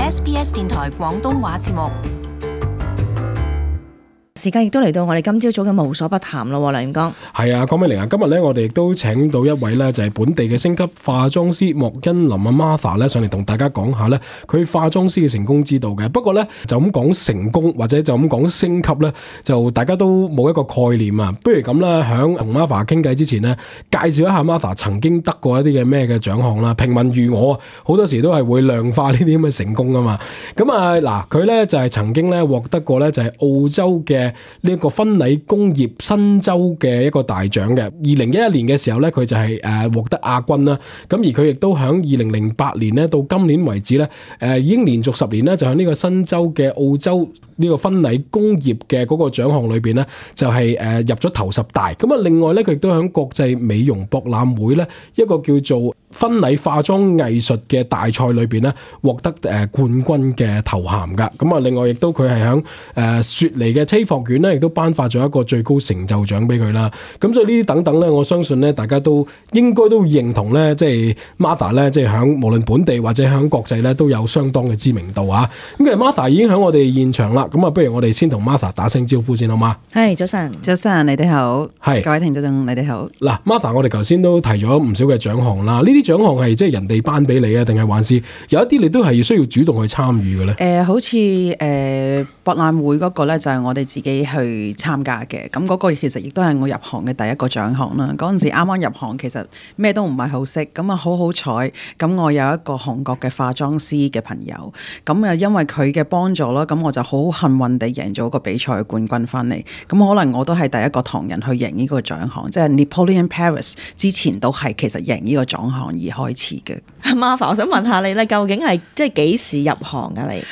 SBS 電台廣東話節目。時間亦都嚟到我哋今朝早嘅無所不談咯，梁江。係啊，江美玲啊，今日咧我哋亦都請到一位咧就係本地嘅星級化妝師莫欣琳啊 Martha 咧上嚟同大家講下咧佢化妝師嘅成功之道嘅。不過咧就咁講成功或者就咁講升級咧，就大家都冇一個概念啊。不如咁啦，響同 Martha 傾偈之前呢，介紹一下 Martha 曾經得過一啲嘅咩嘅獎項啦。平民如我好多時都係會量化呢啲咁嘅成功啊嘛。咁啊嗱，佢咧就係曾經咧獲得過咧就係澳洲嘅呢一個婚禮工業新州嘅一個大獎嘅。2011年嘅時候咧，佢就係獲得亞軍啦。咁而佢亦都響2008年咧到今年為止咧，已經連續10年咧就喺呢個新州嘅澳洲呢個婚禮工業嘅嗰個獎項裏邊咧，就係入咗頭10大。咁啊，另外咧佢亦都喺國際美容博覽會咧一個叫做婚禮化妝藝術嘅大賽裏邊咧獲得冠軍嘅頭銜噶。咁啊，另外亦都佢係響雪梨嘅車學院咧，亦都頒發咗一個最高成就獎俾佢啦。咁所以呢啲等等咧，我相信咧大家都應該都認同咧，即係 Martha 咧，即係響無論本地或者響國際咧都有相當嘅知名度啊。咁其實 Martha 已經喺我哋現場啦。咁啊，不如我哋先同 Martha 打聲招呼先好嗎？係，早晨，早晨，你哋好，係各位聽眾，你哋好。嗱 Martha，我哋頭先都提咗唔少嘅獎項啦。呢啲獎項係即係人哋頒俾你啊，定係還是有一啲你都係需要主動去參與嘅咧？好似博覽會嗰個咧，就係我哋自己去參加嘅。咁嗰個其實亦都係我入行嘅第一個獎項啦。嗰陣時啱啱入行，其實咩都唔係好識。咁啊，好彩，咁我有一個韓國嘅化妝師嘅朋友，咁啊因為佢嘅幫助啦，咁我就好幸運地贏咗個比賽嘅冠軍翻嚟。咁可能我都係第一個唐人去贏呢個獎項，即係 Napoleon Paris 之前都係其實贏呢個獎項而開始嘅。Martha，我想問下你咧，究竟係即係幾時入行㗎你？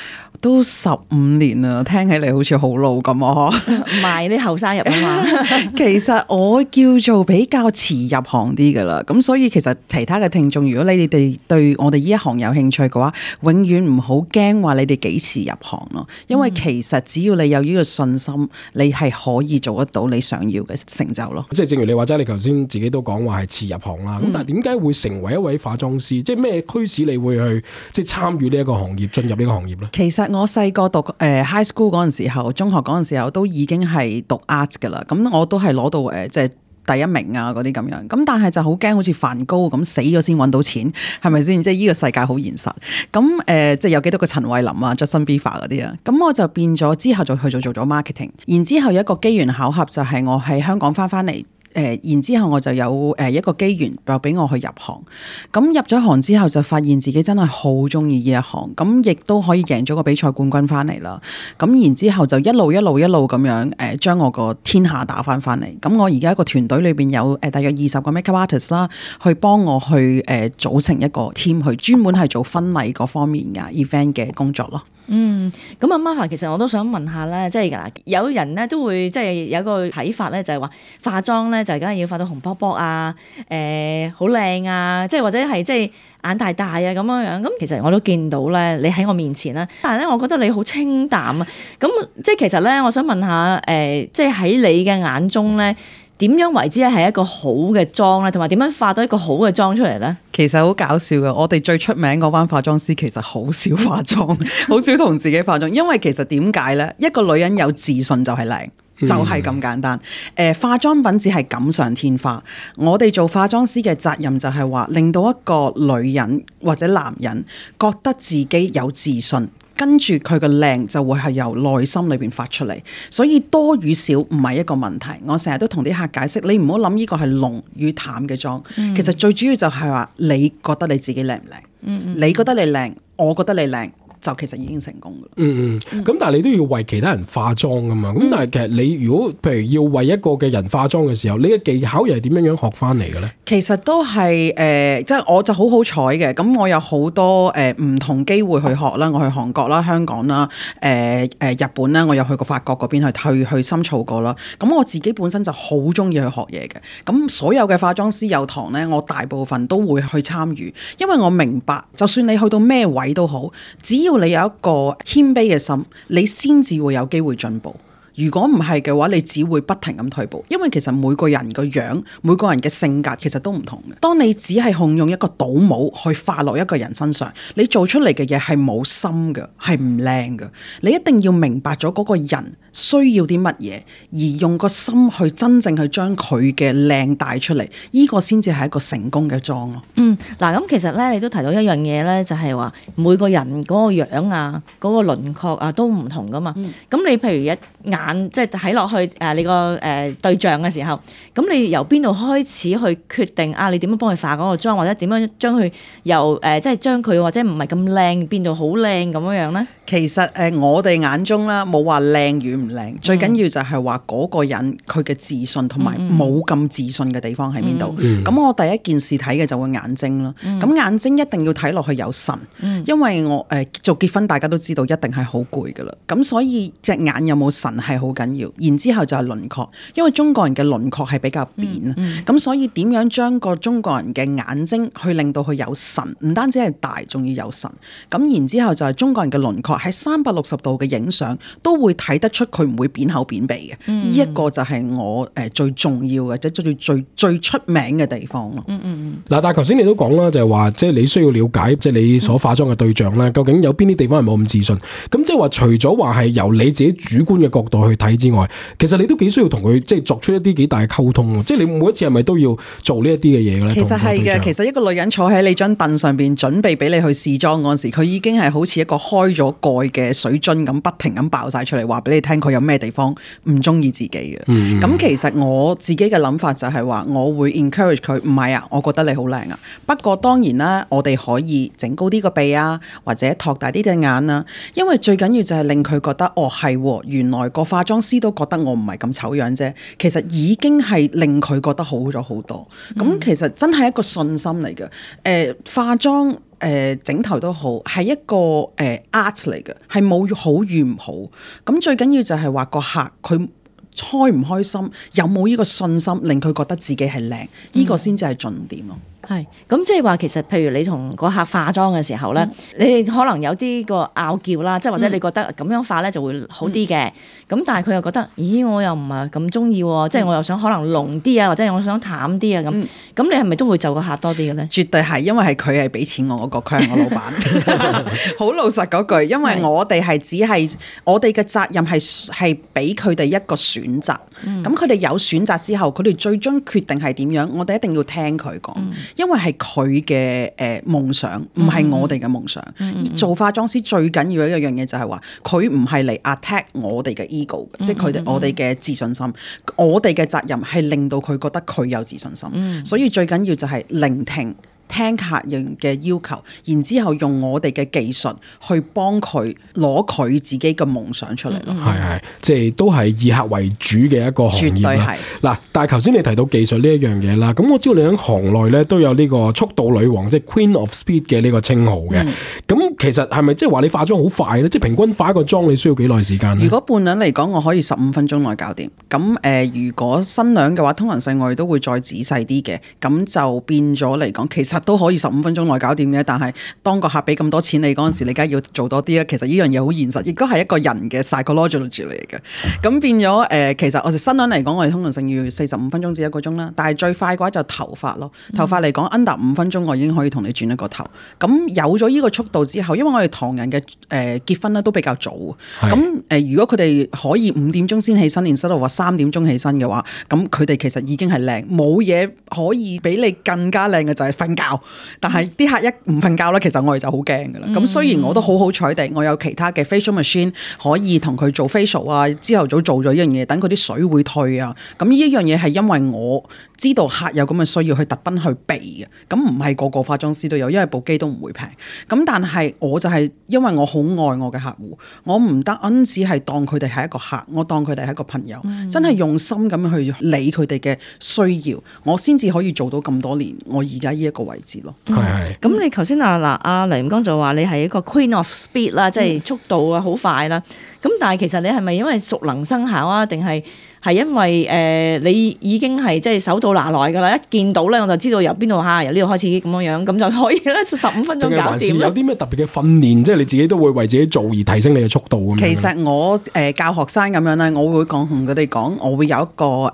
都15年啦，聽起嚟好似好老咁啊！唔係啲後生入啊嘛。其實我叫做比較遲入行啲噶啦，咁所以其實其他嘅聽眾，如果你哋對我哋呢一行有興趣嘅話，永遠唔好驚話你哋幾時入行咯，因為其實只要你有呢個信心，你係可以做得到你想要嘅成就咯。即係正如你話齋，你頭先自己都講話係遲入行啦。咁但係點解會成為一位化妝師？即係咩驅使你會去即係參與呢一個行業，進入呢個行業咧？其實我細個讀high school 嗰陣時候，中學嗰陣時候都已經係讀 art 噶啦，咁我都係攞到即係第一名啊嗰啲咁樣，咁但係就好驚好似梵高咁死咗先揾到錢，係咪先？即係呢個世界好現實。咁即係有幾多個陳慧琳啊、Justin Bieber 嗰啲啊，咁我就變咗之後就去做咗 marketing， 然之後有一個機緣巧合就係我喺香港翻嚟。然之後我就有一個機緣就俾我去入行，咁入咗行之後就發現自己真係好中意呢一行，咁亦都可以贏咗個比賽冠軍翻嚟啦。咁然之後就一路咁樣將我個天下打翻嚟。咁我而家一個團隊裏邊有大約20個 makeup artist 啦，去幫我去組成一個 team 去專門係做婚禮嗰方面嘅 event 嘅工作咯。咁啊 Martha，其實我都想問下咧，即係嗱，有人咧都會即係有一個睇法咧，就係話化妝咧就梗係要化到紅卜卜啊，好靚啊，即係或者係即係眼大大啊咁樣樣。咁其實我都見到咧，你喺我面前啦，但係咧我覺得你好清淡啊。咁即係其實咧，我想問下即係喺你嘅眼中咧，點樣為之係一個好嘅妝咧，同埋點樣化到一個好嘅妝出嚟咧？其實好搞笑嘅，我哋最出名嗰班化妝師其實好少化妝，好少同自己化妝，因為其實點解咧？一個女人有自信就係靚。就係咁簡單。化妝品只係錦上添花。我哋做化妝師嘅責任就係話，令到一個女人或者男人覺得自己有自信，跟住佢嘅靚就會係由內心裏邊發出嚟。所以多與少唔係一個問題。我成日都同啲客解釋，你唔好諗呢個係濃與淡嘅妝。其實最主要就係話，你覺得你自己靚唔靚？你覺得你靚，我覺得你靚。就其實已經成功㗎啦。咁但係你都要為其他人化妝㗎嘛。咁但係其實你如果譬如要為一個嘅人化妝嘅時候，你嘅技巧又係點樣學翻嚟嘅咧？其實都係即係我就好彩嘅。咁我有好多唔同機會去學啦。我去韓國啦、香港啦、日本啦，我有去過法國嗰邊去深造過啦。咁我自己本身就好中意去學嘢嘅。咁所有嘅化妝師有堂咧，我大部分都會去參與，因為我明白，就算你去到咩位都好，只要你有一個謙卑嘅心，你先至會有機會進步。如果唔係嘅話，你只會不停咁退步，因為其實每個人個樣、每個人嘅性格其實都唔同嘅。當你只係控用一個倒模去化落一個人身上，你做出嚟嘅嘢係冇心嘅，係唔靚嘅。你一定要明白咗嗰個人需要啲乜嘢，而用個心去真正去將佢嘅靚帶出嚟，呢個先至係一個成功嘅妝咯。嗱咁其實咧，你都提到一樣嘢咧，就係話每個人嗰個樣啊、嗰個輪廓啊都唔同噶嘛。咁你譬如一眼即係睇落去你個對象嘅時候，咁你由邊度開始去決定啊？你點樣幫佢化嗰個妝，或者點樣將佢由即係將佢或者唔係咁靚變到好靚咁樣咧？其實我哋眼中啦，冇話靚與唔靚，最緊要就係話嗰個人佢嘅自信同埋冇咁自信嘅地方喺邊度。咁我第一件事睇嘅就會眼睛啦。咁眼睛一定要睇落去有神，因為我做結婚大家都知道一定係好攰噶啦。咁所以隻眼有冇神係好緊要。然之後就係輪廓，因為中國人嘅輪廓係比較扁啊。咁所以點樣將個中國人嘅眼睛去令到佢有神，唔單止係大，仲要有神。咁然之後就係中國人嘅輪廓。喺360度嘅影相都會睇得出佢唔會扁口扁鼻嘅，呢一個就係我最重要嘅，即係最出名嘅地方咯。嗱，但係頭先你都講啦，就係話即係你需要了解即係你所化妝嘅對象咧，究竟有邊啲地方係冇咁自信？咁即係話除咗話係由你自己主觀嘅角度去睇之外，其實你都幾需要同佢即係作出一啲幾大嘅溝通。即係你每一次係咪都要做呢一啲嘅嘢嘅咧？其實係嘅，其實一個女人坐喺你張凳上邊準備俾你去試妝嗰陣時，佢已經係好似一個開咗蓋嘅水樽咁，不停咁爆晒出嚟，話俾你聽佢有咩地方唔中意自己嘅。咁其實我自己嘅諗法就係話，我會 encourage 佢，唔係啊，我覺得你好靚啊。不過當然啦，我哋可以整高啲個鼻啊，或者托大啲隻眼啊。因為最緊要就係令佢覺得，哦係，原來個化妝師都覺得我唔係咁醜樣啫。其實已經係令佢覺得好咗好多。咁其實真係一個信心嚟嘅。化妝。整頭都好，係一個art 嚟嘅，係冇好與唔好。咁最緊要就係話個客佢開唔開心，有冇呢個信心，令佢覺得自己係靚，呢個先至係重點咯。係，咁即係話其實，譬如你同個客化妝嘅時候咧，你可能有啲個拗撬啦，即係或者你覺得咁樣化咧就會好啲嘅，咁但係佢又覺得，咦，我又唔係咁中意喎，即係我又想可能濃啲啊，或者我想淡啲啊咁你係咪都會就個客多啲嘅咧？絕對係，因為係佢係俾錢我嗰個，佢係我老闆。好老實嗰句，因為我哋係只係我哋嘅責任係俾佢哋一個選擇，咁佢哋有選擇之後，佢哋最終決定係點樣，我哋一定要聽佢講。因為係佢嘅夢想，唔係我哋嘅夢想。做化妝師最緊要一樣嘢就係話，佢唔係嚟 attack 我哋嘅 ego，即係佢哋我哋嘅自信心。我哋嘅責任係令到佢覺得佢有自信心。所以最緊要就係聆聽客人嘅要求，然之後用我哋嘅技術去幫佢攞佢自己嘅夢想出嚟咯。係，即係都係以客為主嘅一個行業啦。嗱，但係頭先你提到技術呢一樣嘢啦，咁我知道你喺行內咧都有呢個速度女王，即係 Queen of Speed 嘅呢個稱號嘅。咁其實係咪即係話你化妝好快咧？即係平均化一個妝你需要幾耐時間咧？如果伴娘嚟講，我可以15分鐘內搞掂。咁如果新娘嘅話，通常性我哋都會再仔細啲嘅。咁就變咗嚟講，其實都可以15分鐘內搞掂嘅，但係當個客俾咁多錢你嗰陣時，你梗係要做多啲啦。其實呢樣嘢好現實，亦都係一個人嘅 psychology 嚟嘅。咁變咗其實我哋新娘嚟講，我哋通常性要45分鐘至1個鐘啦。但係最快嘅話就頭髮咯，頭髮嚟講 under 5分鐘，我已經可以同你轉一個頭。咁有咗呢個速度之後，因為我哋唐人嘅結婚咧都比較早，咁如果佢哋可以5點鐘先起身，連室度話3點鐘起身嘅話，咁佢哋其實已經係靚，冇嘢可以比你更加靚嘅就係瞓覺。但係啲客一唔瞓覺咧，其實我哋就好驚噶啦。咁雖然我都好彩地，我有其他嘅 facial machine 可以同佢做 facial 啊，朝頭早做咗呢樣嘢，等佢啲水會退啊。咁呢一樣嘢係因為我知道客有咁嘅需要，去特登去避嘅。咁唔係個個化妝師都有，因為部機都唔會平。咁但係我就係因為我好愛我嘅客戶，我唔單止係當佢哋係一個客，我當佢哋係一個朋友，真係用心咁去理佢哋嘅需要，我先至可以做到咁多年我而家呢一個位置咯。咁你頭先阿黎吳剛就話你係一個 Queen of Speed 啦，即係速度啊好快啦。咁但係其實你係咪因為熟能生巧啊，定係係因為你已經係即係手到拿來㗎啦，一見到咧我就知道由邊度由呢度開始咁樣，咁就可以咧15分鐘搞掂。有啲咩特別嘅訓練，即係你自己都會為自己做而提升你嘅速度咁樣？其實我教學生咁樣咧，我會同佢哋講，我會有一個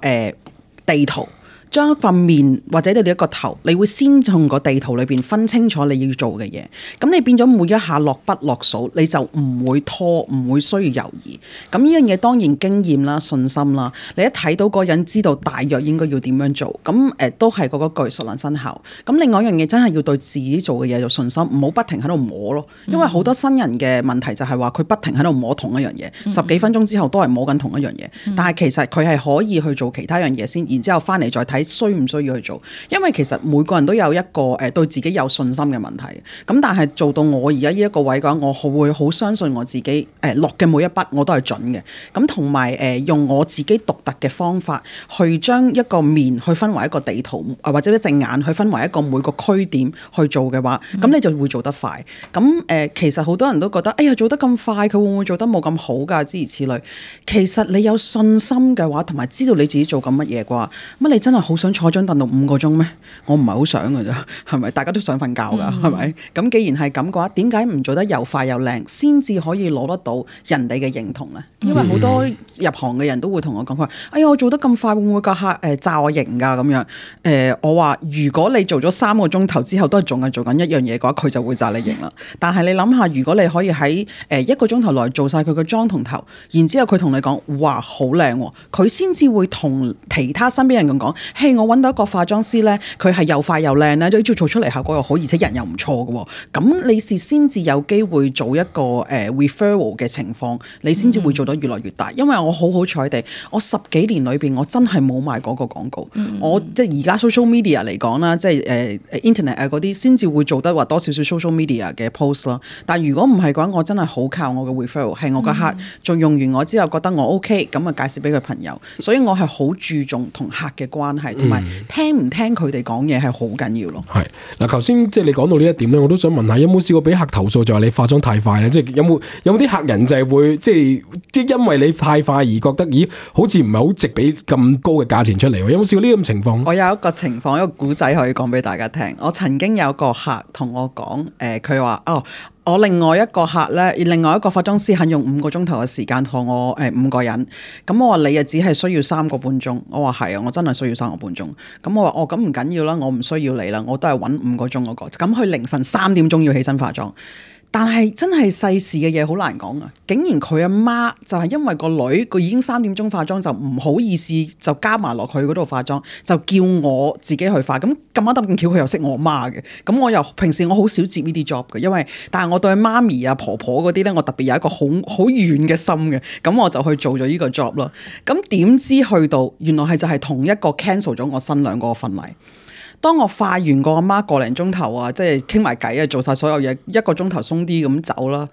地圖。將一塊面或者你哋一個頭，你會先從個地圖裏邊分清楚你要做嘅嘢。咁你變咗每一下落筆落數，你就唔會拖，唔會需要猶豫。咁呢樣嘢當然經驗啦、信心啦。你一睇到嗰個人知道大約應該要點樣做，咁都係嗰句熟能生巧。咁另外一樣嘢真係要對自己做嘅嘢有信心，唔好不停喺度摸咯。因為好多新人嘅問題就係話佢不停喺度摸同一樣嘢，10幾分鐘之後都係摸緊同一樣嘢。但係其實佢係可以去做其他樣嘢先，然之後翻嚟再睇。需唔需要去做？因為其實每個人都有一個對自己有信心嘅問題。咁但係做到我而家呢一個位嘅話，我會好相信我自己落嘅每一筆我都係準嘅。咁同埋用我自己獨特嘅方法去將一個面去分為一個地圖，或者一隻眼去分為一個每個區點去做嘅話，咁你就會做得快。咁其實好多人都覺得，哎呀做得咁快，佢會唔會做得冇咁好㗎？諸如此類。其實你有信心嘅話，同埋知道你自己做緊乜嘢嘅話，乜你真係好想坐張凳到5個鐘咩？我唔係好想㗎咋，係咪？大家都想瞓覺㗎，係咪？咁既然係咁嘅話，點解唔做得又快又靚，先至可以攞得到人哋嘅認同咧？因為好多入行嘅人都會同我講，佢話：哎呀，我做得咁快，會唔會個客炸我型㗎？咁樣我話：如果你做咗3個鐘頭之後都係仲係做緊一樣嘢嘅話，佢就會炸你型啦。但係你諗下，如果你可以喺1個鐘頭內做晒佢嘅妝同頭，然之後佢同你講：哇，好靚喎！佢先至會同其他身邊人咁講：嘿，我揾到一個化妝師咧，佢係又快又靚咧，都做出嚟效果又好，而且人又唔錯嘅喎。咁你是先至有機會做一個referral 嘅情況，你先至會做到越來越大。因為我好彩地，我10幾年裏邊我真係冇賣嗰個廣告。我即係而家 social media 嚟講啦，即係internet 嗰啲先至會做得話多少少 social media 嘅 post 咯。但係如果唔係嘅話，我真係好靠我嘅 referral， 係我個客仲用完我之後覺得我 OK，咁啊介紹俾佢朋友。所以我係好注重同客嘅關係，同埋聽唔聽佢哋講嘢係好緊要咯。係嗱，頭先即係你講到呢一點咧，我都想問下，有冇試過俾客投訴就話你化妝太快咧？即係有冇啲客人就係會即係因為你太快而覺得咦好似唔係好值俾咁高嘅價錢出嚟？有冇試過呢咁情況？我有一個情況，一個古仔可以講俾大家聽。我曾經有個客同我講，佢話我另外一個客咧，另外一個化妝師肯用5個鐘頭嘅時間同我5個人，咁我話你只係需要3個半鐘，我話係啊，我真係需要3個半鐘，咁我話咁唔緊要啦，我唔需要你啦，我都係揾5個鐘嗰個，咁佢凌晨3點鐘要起身化妝。但係真係世事嘅嘢好難講啊！竟然佢阿媽就係因為個女佢已經3點鐘化妝，就唔好意思就加埋落去嗰度化妝，就叫我自己去化。咁咁啱得咁巧，佢又識我媽嘅。咁我又平時我好少接呢啲 job 嘅，因為但係我對媽咪啊婆婆嗰啲咧，我特別有一個好遠嘅心嘅。咁我就去做咗呢個 job 咯。咁點知去到原來係同一個 cancel 咗我新娘嗰個婚禮。當我化完個阿媽個零鐘頭啊，即係傾埋偈啊，做晒所有嘢1個鐘頭鬆啲咁走啦。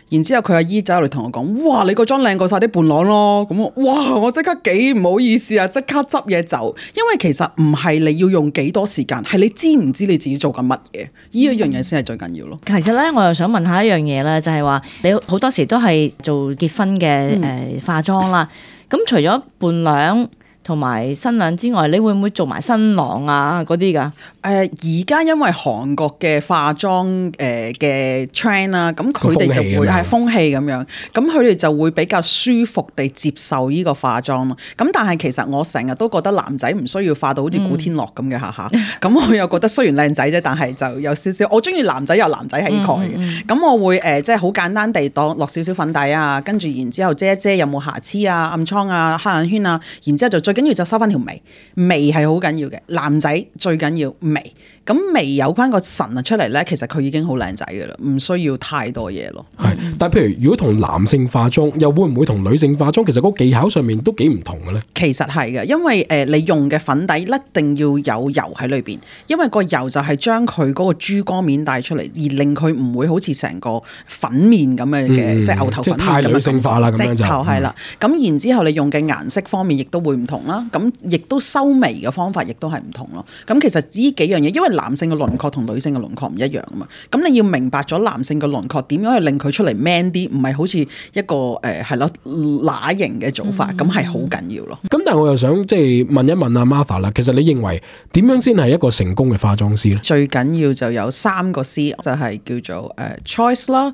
然之後佢阿姨走嚟同我講：哇，你個妝靚過晒啲伴郎咯！咁哇，我即刻幾唔好意思啊，即刻執嘢走。因為其實唔係你要用幾多時間，係你知唔知你自己做緊乜嘢？呢一樣嘢先係最緊要咯。其實咧，我又想問下一樣嘢咧，就係話你好多時都係做結婚嘅化妝啦。咁除咗伴娘同埋新娘之外，你會唔會做埋新郎啊嗰啲㗎？而家因為韓國嘅化妝嘅 trend 啦，咁佢哋就會係風氣咁樣，咁佢哋就會比較舒服地接受呢個化妝咯。咁但係其實我成日都覺得男仔唔需要化到好似古天樂咁嘅下下。咁我又覺得雖然靚仔啫，但係就有少少我中意男仔有男仔氣概嘅。咁我會即係好簡單地當落少少粉底啊，跟住然之後遮一遮有冇瑕疵啊、暗瘡啊、黑眼圈啊，然之後就最緊要就收翻條眉，眉係好緊要嘅。男仔最緊要眉，咁眉有翻個神啊出嚟咧，其實佢已經好靚仔噶啦，唔需要太多嘢咯。係，但係譬如如果同男性化妝，又會唔會同女性化妝？其實嗰個技巧上面都幾唔同嘅咧。其實係嘅，因為你用嘅粉底一定要有油喺裏邊，因為個油就係將佢嗰個珠光面帶出嚟，而令佢唔會好似成個粉面咁嘅，即係牛頭粉面咁樣。太女性化啦，咁樣就直頭係啦。咁然之後你用嘅顏色方面亦都會唔同。同啦，咁亦都修眉嘅方法亦都係唔同咯。咁其實呢幾樣嘢，因為男性嘅輪廓同女性嘅輪廓唔一樣啊嘛，咁你要明白咗男性嘅輪廓點樣去令佢出嚟 man 啲，唔係好似一個係咯乸型嘅做法，咁係好緊要咯。咁但係我又想即係問一問阿 Martha 啦，其實你認為點樣先係一個成功嘅化妝師咧？最緊要就有3個 C，就係叫做choice 啦、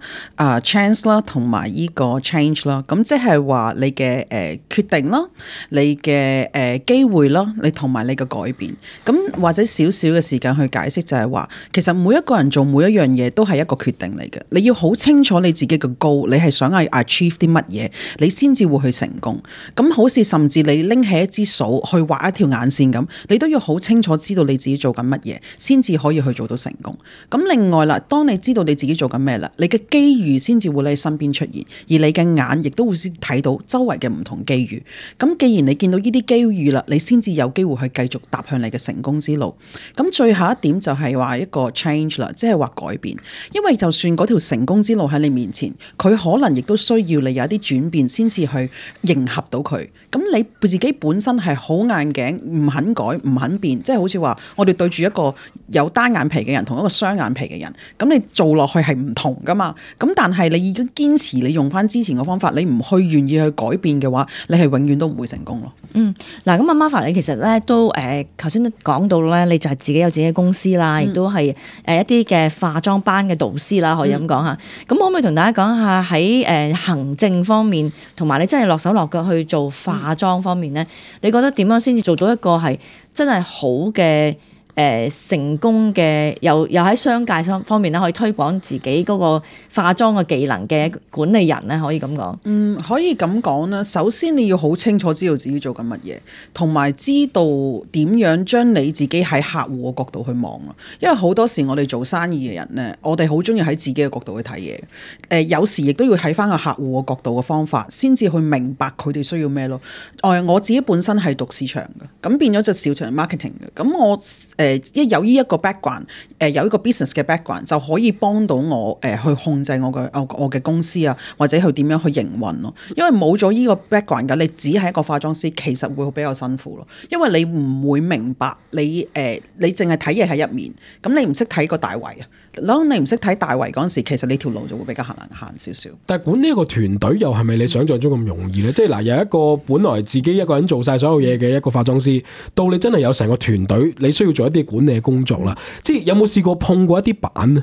chance 啦，同埋依個 change 啦。咁即係話你嘅決定啦，你嘅機會啦，你同埋你嘅改變。咁或者少少嘅時間去解釋就係話，其實每一個人做每一樣嘢都係一個決定嚟嘅。你要好清楚你自己嘅 goal，你係想去 achieve 啲乜嘢，你先至會去成功。咁好似甚至你拎起一支掃去畫一條眼線咁，你都要好清楚知道你自己做緊乜嘢，先至可以去做到成功。咁另外啦，當你知道你自己做緊咩啦，你嘅機遇先至會喺你身邊出現，而你嘅眼亦都會先睇到周圍嘅唔同機遇。咁既然你見到呢啲機遇啦，你先至有機會去繼續踏向你嘅成功之路。咁最後一點就係話一個 change 啦，即係話改變。因為就算嗰條成功之路喺你面前，佢可能亦都需要你有一啲轉變，先至去迎合到佢。咁你自己本身係好硬頸，唔肯改，唔肯變，即係好似話我哋對住一個有單眼皮嘅人同一個雙眼皮嘅人，咁你做落去係唔同噶嘛。咁但係你已經堅持你用翻之前嘅方法，你唔去願意去改變嘅話，你係永遠都唔會成功咯。嗱咁阿 Martha 你其實咧都頭先都講到咧，你就係自己有自己嘅公司啦，亦都係一啲嘅化妝班嘅導師啦，可以咁講下。咁可唔可以同大家講下喺行政方面，同埋你真係落手落腳去做化妝方面咧，你覺得點樣先至做到一個係真係好嘅成功嘅，又喺商界方面咧，可以推廣自己嗰個化妝嘅技能嘅管理人咧，可以咁講？可以咁講啦。首先你要好清楚知道自己做緊乜嘢，同埋知道點樣將你自己喺客戶嘅角度去望咯。因為好多時我哋做生意嘅人咧，我哋好中意喺自己嘅角度去睇嘢。有時亦都要睇翻個客戶嘅角度嘅方法，先至去明白佢哋需要咩咯。我自己本身係讀市場嘅，咁變咗就市場 marketing 嘅。咁我有呢一個 background，有一個 business 嘅 background 就可以幫到我去控制我嘅公司啊，或者去點樣去營運咯。因為冇咗呢個 background 嘅，你只係一個化妝師，其實會比較辛苦咯。因為你唔會明白你淨係睇嘢喺一面，咁你唔識睇個大圍啊。當你唔識睇大圍嗰陣時，其實你條路就會比較難行少少。但係管呢一個團隊又係咪你想象中咁容易咧？即係嗱，有一個本來自己一個人做晒所有嘢嘅一個化妝師，到你真係有成個團隊，你需要做一啲管理嘅工作啦。即係有冇試過碰過一啲板咧？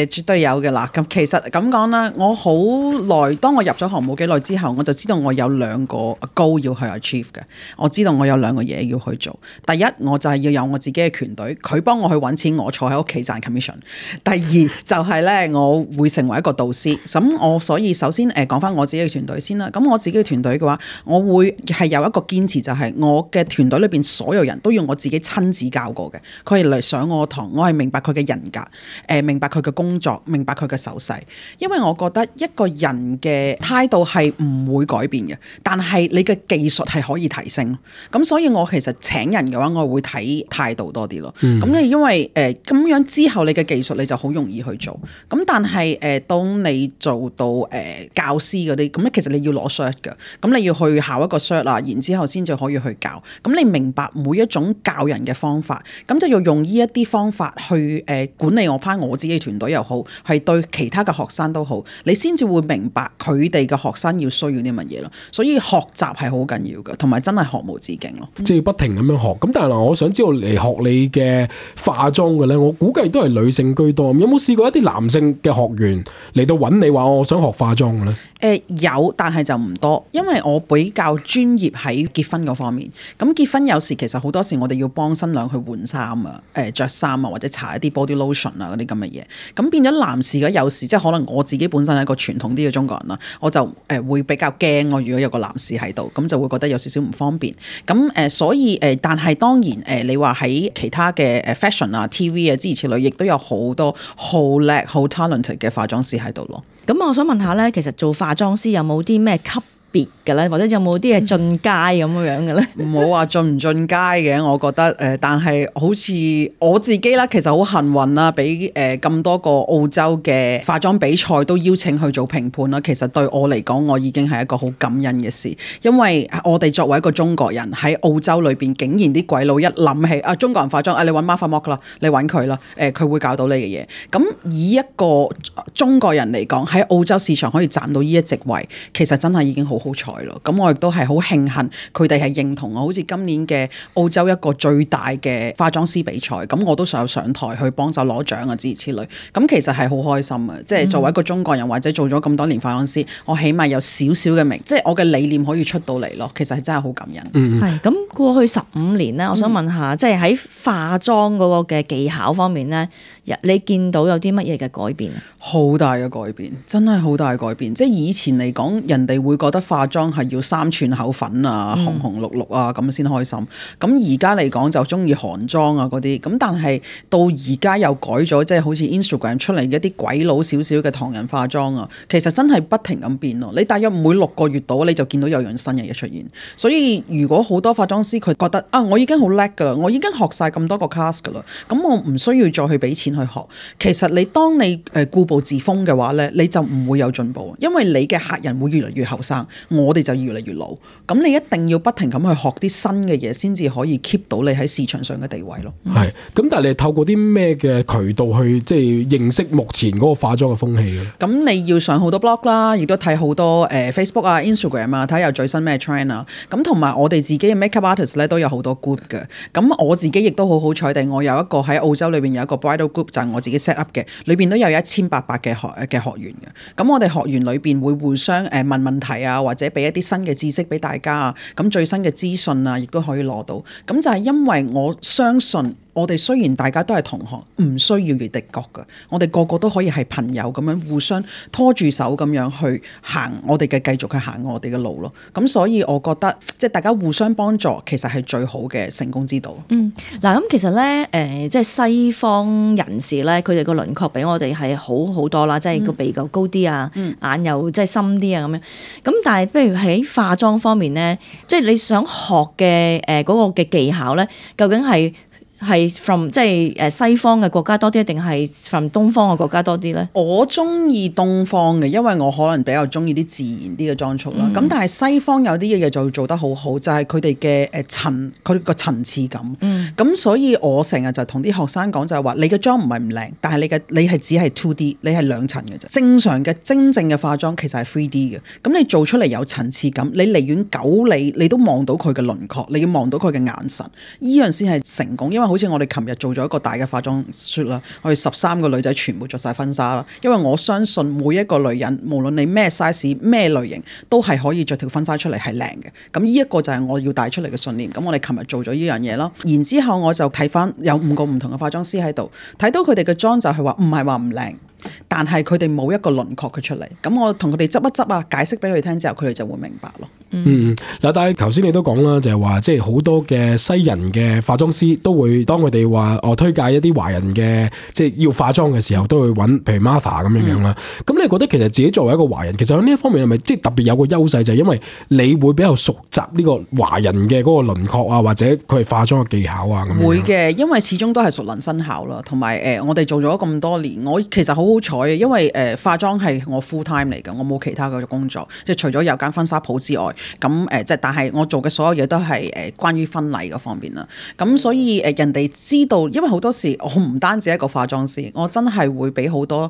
絕對有嘅啦。咁其實咁講啦，我好耐，當我入咗行冇幾耐之後，我就知道我有2個 goal 要去 achieve 嘅。我知道我有2個嘢要去做。第一，我就係要有我自己嘅團隊，佢幫我去揾錢，我坐喺屋企賺 commission。第二就係咧，我會成為一個導師。咁我所以首先講翻我自己嘅團隊先啦。咁我自己嘅團隊嘅話，我會係有一個堅持，就係我嘅團隊裏邊所有人都要我自己親自教過嘅。佢係嚟上我堂，我係明白佢嘅人格，明白佢嘅工作，明白佢嘅手勢。因為我覺得一個人嘅態度係唔會改變嘅，但係你嘅技術係可以提升。咁所以我其實請人嘅話，我會睇態度多啲咯。咁你因為咁樣之後，你嘅技術你就好容易去做。咁但係當你做到教師嗰啲，咁其實你要攞 cert 嘅。咁你要去考一個 cert 啦，然之後先至可以去教。咁你明白每一種教人嘅方法，咁就要用呢一啲方法去管理翻我自己嘅團隊又好，係對其他嘅學生都好，你先至會明白佢哋嘅學生要需要啲乜嘢咯。所以學習係好緊要嘅，同埋真係學無止境咯。即係不停咁樣學。咁但係我想知道嚟學你嘅化妝嘅咧，我估計都係女性居多。有冇試過一啲男性嘅學員嚟到揾你話我想學化妝嘅咧？有，但係就唔多，因為我比較專業喺結婚嗰方面。咁結婚有時其實好多時我哋要幫新娘去換衫啊、着衫啊，或者搽一啲 body lotion 啊嗰啲咁嘅嘢。咁變咗男士嘅有時即係可能我自己本身係一個傳統啲嘅中國人啦，我就會比較驚我如果有個男士喺度，咁就會覺得有少少唔方便。咁所以但係當然你話喺其他嘅fashion 啊、TV 啊諸如此類，亦都有好多好叻、好 talented 嘅化妝師喺度咯。咁我想問下咧，其實做化妝師有冇啲咩級別嘅咧？或者有冇啲嘢進階咁樣嘅咧？唔好話進唔進階嘅，我覺得但係好似我自己啦，其實好幸運啦，俾咁多個澳洲嘅化妝比賽都邀請去做評判啦。其實對我嚟講，我已經係一個好感恩嘅事，因為我哋作為一個中國人喺澳洲裏邊，竟然啲鬼佬一諗起中國人化妝，你揾 Martha Mock 啦，你揾佢啦，佢會教到你嘅嘢。咁以一個中國人嚟講，喺澳洲市場可以賺到呢一席位，其實真係已經好好彩咯。咁我亦都係好慶幸佢哋係認同我。好似今年嘅澳洲一個最大嘅化妝師比賽，咁我都想上台去幫手攞獎啊，諸如此類。咁其實係好開心啊！即係作為一個中國人或者做咗咁多年化妝師，我起碼有少少嘅名，即係我嘅理念可以出到嚟咯。其實係真係好感恩。係咁過去15年咧，我想問下，即係喺化妝嗰個嘅技巧方面咧，你見到有啲乜嘢嘅改變啊？好大嘅改變，真係好大嘅改變。即係以前嚟講，人哋會覺得化妝係要3寸口粉啊、紅紅綠綠啊咁先開心。咁而家嚟講就中意韓妝啊嗰啲。咁但係到而家又改咗，即係好似 Instagram 出嚟嘅一啲鬼佬少少嘅唐人化妝啊，其實真係不停咁變咯。你大約每6個月度你就見到有樣新嘅嘢出現。所以如果好多化妝師佢覺得我已經好叻㗎啦，我已經學晒咁多個 class 㗎啦，咁我唔需要再去俾錢去學。其實你當你固步自封嘅話咧，你就唔會有進步，因為你嘅客人會越嚟越後生，我哋就越嚟越老。咁你一定要不停咁去學啲新嘅嘢，先至可以 keep 到你喺市場上嘅地位咯。係，咁但係你透過啲咩嘅渠道去即係認識目前嗰個化妝嘅風氣嘅？咁你要上好多 blog 啦，亦都睇好多Facebook 啊、Instagram 啊，睇下有最新咩 trend 啊。咁同埋我哋自己嘅 makeup artist 咧都有好多 group 嘅。咁我自己亦都好好彩地，我有一個喺澳洲裏邊有一個 bridal group，就係我自己 set up 嘅，裏邊都有1800嘅學員嘅。咁我哋學員裏邊會互相問問題啊，或者俾一啲新嘅知識俾大家啊。咁最新嘅資訊啊，亦都可以攞到。咁就係因為我相信。我哋雖然大家都係同行，唔需要越敵國㗎，我哋個個都可以係朋友咁樣互相拖住手咁樣去行我哋嘅繼續去行我哋嘅路咯。咁所以我覺得即係大家互相幫助，其實係最好嘅成功之道。嗱咁其實咧即係西方人士咧，佢哋個輪廓比我哋係好多啦，即係個鼻又高啲啊，眼又即係深啲啊咁樣。咁但係不如喺化妝方面咧，即係你想學嘅嗰個嘅技巧咧，究竟係 from 即係西方嘅國家多啲，定係 from 東方嘅國家多啲咧？我中意東方嘅，因為我可能比較中意啲自然啲嘅裝束啦。咁但係西方有啲嘢就做得好好，就係佢哋嘅佢個層次感。咁所以我成日就同啲學生講就係話，你嘅妝唔係唔靚，但係你係只係 2D， 你係2層嘅啫。正常嘅真正嘅化妝其實係 3D 嘅。咁你做出嚟有層次感，你離遠9里你都望到佢嘅輪廓，你要望到佢嘅眼神，依樣先係成功。因為好似我哋琴日做咗一個大嘅化妝 shoot 啦，我哋13個女仔全部着晒婚紗啦。因為我相信每一個女人，無論你咩 size 咩類型，都係可以着條婚紗出嚟係靚嘅。咁呢一個就係我要帶出嚟嘅信念。咁我哋琴日做咗呢樣嘢咯。然之後我就睇翻有5個唔同嘅化妝師喺度，睇到佢哋嘅妝就係話唔係話唔靚，但係佢哋冇一個輪廓佢出嚟。咁我同佢哋執一執啊，解釋俾佢哋聽之後，佢哋就會明白咯。嗱，但係頭先你都講啦，就係話即係好多嘅西人嘅化妝師都會當佢哋話推介一啲華人嘅即係要化妝嘅時候，都會揾譬如 Martha 咁樣啦。咁你覺得其實自己作為一個華人，其實喺呢一方面係咪即係特別有個優勢，就係因為你會比較熟習呢個華人嘅嗰個輪廓啊，或者佢係化妝嘅技巧啊咁樣？會嘅，因為始終都係熟能生巧啦，同埋我哋做咗咁多年，我其實好好彩嘅，因為化妝係我 full time 嚟嘅，我冇其他嘅工作，即係除咗有間婚紗鋪之外。咁即係，但係我做嘅所有嘢都係關於婚禮嗰方面啦。咁所以人哋知道，因為好多時我唔單止一個化妝師，我真係會俾好多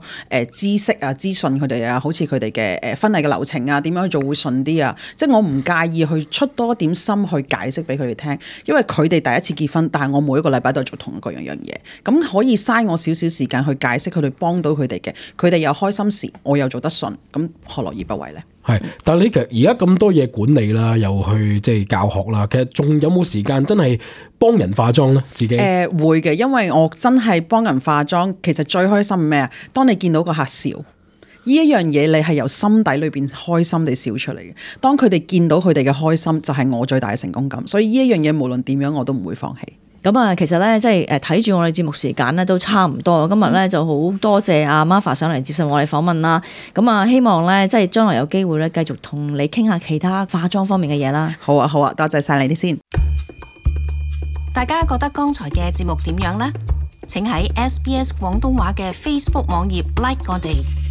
知識啊、資訊佢哋啊，好似佢哋嘅婚禮嘅流程啊，點樣去做會順啲啊。即係我唔介意去出多點心去解釋俾佢哋聽，因為佢哋第一次結婚，但係我每一個禮拜都係做同一個樣嘢，咁可以嘥我少少時間去解釋佢哋，幫到佢哋嘅，佢哋又開心時，我又做得順，咁何樂而不為呢？係，但係你其實而家咁多嘢管理啦，又去即係教學啦，其實仲有冇時間真係幫人化妝咧？自己會嘅，因為我真係幫人化妝，其實最開心係咩啊？當你見到個客笑，呢一樣嘢你係由心底裏邊開心地笑出嚟嘅。當佢哋見到佢哋嘅開心，就係我最大嘅成功感。所以呢一樣嘢無論點樣我都唔會放棄。咁啊，其實咧，即係睇住我哋節目時間咧都差唔多。今日咧就好多謝阿 Martha 上嚟接受我哋訪問啦。咁啊，希望咧即係將來有機會咧繼續同你傾下其他化妝方面嘅嘢啦。好啊，好啊，多謝晒你哋先。大家覺得剛才嘅節目點樣呢？請喺 SBS 廣東話嘅 Facebook 網頁 like 我哋。